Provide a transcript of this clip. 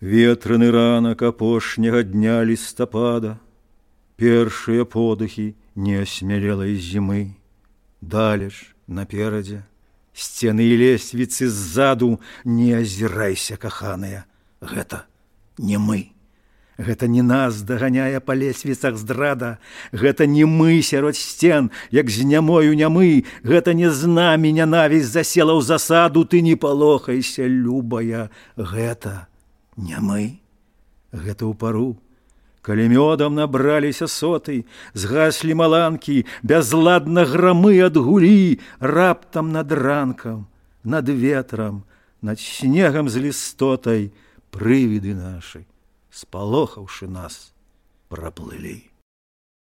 Ветраны ранак апошняга дня лістапада, першыя подыхі неасмялелай зімы. Далеч наперадзе сцены і лесвіцы ззаду. Не азірайся, каханая, гэта не мы. Гэта не нас даганяе па лесвіцах здрада. Гэта не мы сярод сцен, як з нямою нямы. Гэта не з намі нянавісць засела ў засаду. Ты не палохайся, любая, гэта не мы. Гэта ў пару, калі мёдам набраліся соты, згаслі маланкі, бязладна грамы адгулі. Раптам над ранкам, над ветрам, над снегам з лістотай прывіды нашы, спалохаўшы нас, праплылі.